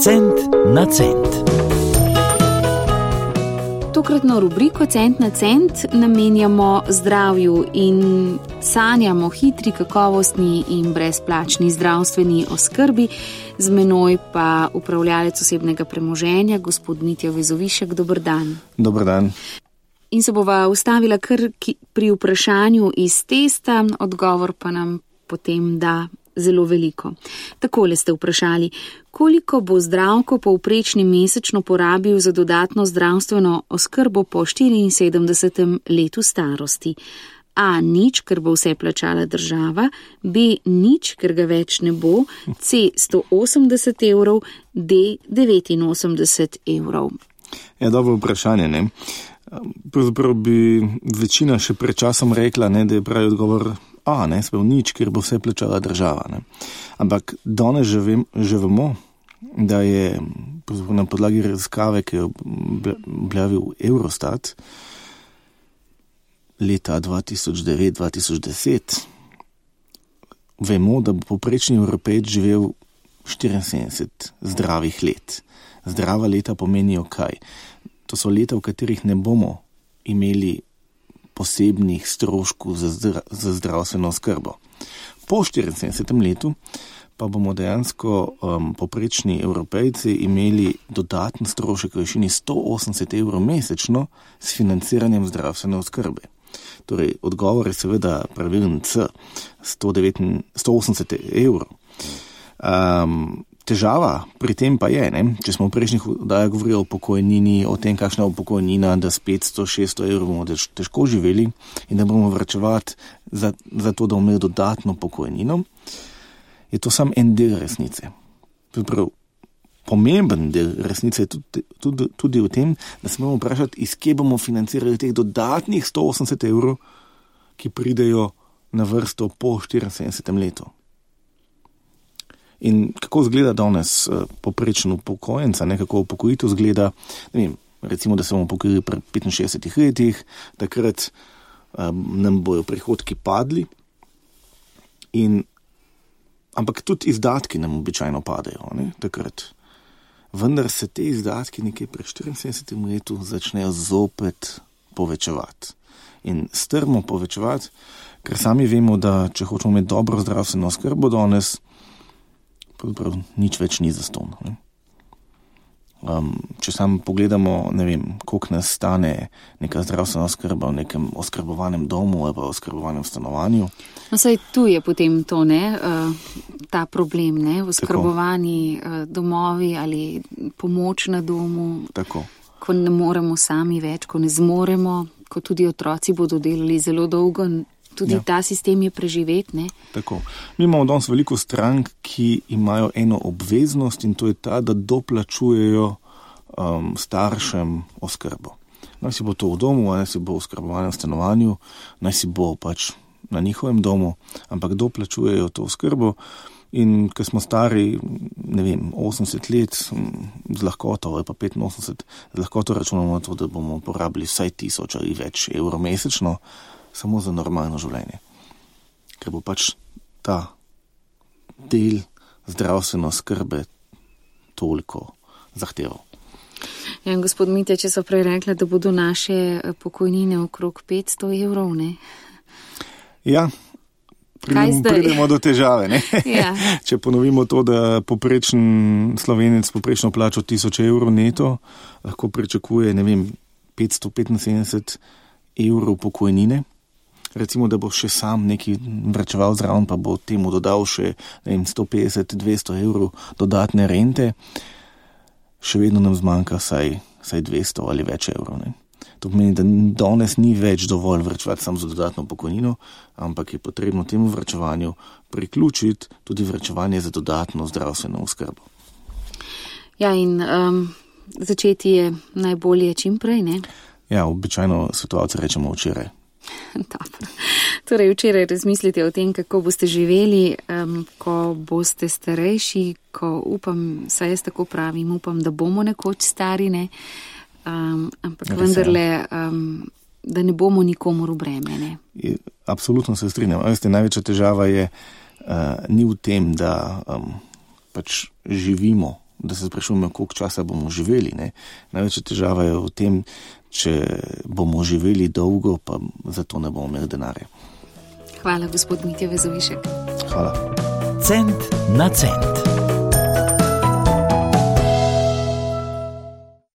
Cent na cent. Tokratno rubriko Cent na cent namenjamo zdravju in sanjamo hitri, kakovostni in brezplačni zdravstveni oskrbi. Z menoj pa upravljalec osebnega premoženja, gospod Mitja Vezovišek. Dober dan. Dober dan. In se bova ustavila kar pri vprašanju iz testa, odgovor pa nam potem da zelo veliko. Takole ste vprašali, koliko bo Zdravko povprečni mesečno porabil za dodatno zdravstveno oskrbo po 74. letu starosti? A. Nič, ker bo vse plačala država, B. Nič, ker ga več ne bo, C. 180 evrov, D. 89 evrov. Ja, dobro vprašanje, ne? Pravzaprav bi večina še pred časom rekla, ne, da je pravi odgovor A, ne, spet nič, ker bo vse plačala država, ne. Ampak danes že vemo, da je na podlagi raziskave, ki je objavil Eurostat leta 2009-2010, vemo, da bo povprečni Evropejec živel 74 zdravih let. Zdrava leta pomenijo kaj? To so leta, v katerih ne bomo imeli posebnih stroškov za zdravstveno oskrbo. Po 74. letu pa bomo dejansko povprečni Evropejci imeli dodaten strošek v višini 180 evrov mesečno s financiranjem zdravstvene oskrbe. Torej, odgovor je seveda pravilen C, 180 evrov. Težava pri tem pa je, ne? Če smo v prejšnjih oddajah govorili o pokojnini, o tem, kakšna je pokojnina, da s 500-600 evrov bomo težko živeli in da bomo varčevati za to, da bomo imeli dodatno pokojnino, je to samo en del resnice. Prav, pomemben del resnice je tudi v tem, da se moramo vprašati, iz kje bomo financirali teh dodatnih 180 evrov, ki pridejo na vrsto po 74. letu. In kako izgleda danes povprečno upokojenca, kako upokojitev izgleda, ne vem, recimo, da se bomo upokojili pri 65 letih, takrat nam bojo prihodki padli, ampak tudi izdatki nam običajno padajo, ne, takrat. Vendar se te izdatki nekje pri 74. letu začnejo zopet povečevati. In strmo povečevati, ker sami vemo, da če hočemo imeti dobro zdravstveno oskrbo danes, pravzaprav nič več ni zastonj. Če sam pogledamo, ne vem, koliko nas stane neka zdravstvena oskrba v nekem oskrbovanem domu ali pa oskrbovanem stanovanju. No, saj tu je potem to, ne, ta problem, ne, oskrbovani domovi ali pomoč na domu. Tako. Ko ne moremo sami več, ko ne zmoremo, ko tudi otroci bodo delali zelo dolgo, tudi ta sistem je preživet, ne? Tako. Mi imamo danes veliko strank, ki imajo eno obveznost in to je ta, da doplačujejo staršem oskrbo. Naj si bo to v domu, naj si bo v oskrbovanem stanovanju, naj si bo pač na njihovem domu, ampak doplačujejo to oskrbo in ko smo stari, ne vem, 80 let z lahkoto ali pa 85, z lahkoto računamo na to, da bomo porabili vsaj 1000 ali več evrov mesečno, samo za normalno življenje. Ker bo pač ta del zdravstveno skrbe toliko zahteval. Ja, gospod Mitja, če so prej rekli, da bodo naše pokojnine okrog 500 evrov, ne? Ja, pridemo do težave, ne? Ja. Če ponovimo to, da poprečen Slovenec poprečno plačo 1000 evrov neto, lahko pričakuje, ne vem, 575 evrov pokojnine. Recimo, da bo še sam neki vračeval zraven, pa bo temu dodal še 150-200 evrov dodatne rente, še vedno nam zmanjka saj 200 ali več evrov. Ne? To pomeni, da danes ni več dovolj vračevati samo za dodatno pokojnino, ampak je potrebno temu vračevanju priključiti tudi vračevanje za dodatno zdravstveno oskrbo. Ja, in začeti je najbolje čim prej, ne? Ja, običajno svetovalci rečemo včeraj. Dobro. Torej, včeraj razmislite o tem, kako boste živeli, ko boste starejši, ko upam, saj jaz tako pravim, upam, da bomo nekoč stari, ne? Ampak vendarle, da ne bomo nikomor v breme, ne? Absolutno se strinjam. Veste, največja težava je ni v tem, da pač živimo da se sprašujemo, koliko časa bomo živeli. Ne? Največja težava je v tem, če bomo živeli dolgo, pa zato ne bomo imeli denarja. Hvala, gospod Mitja Vezovišek. Hvala. Cent na cent.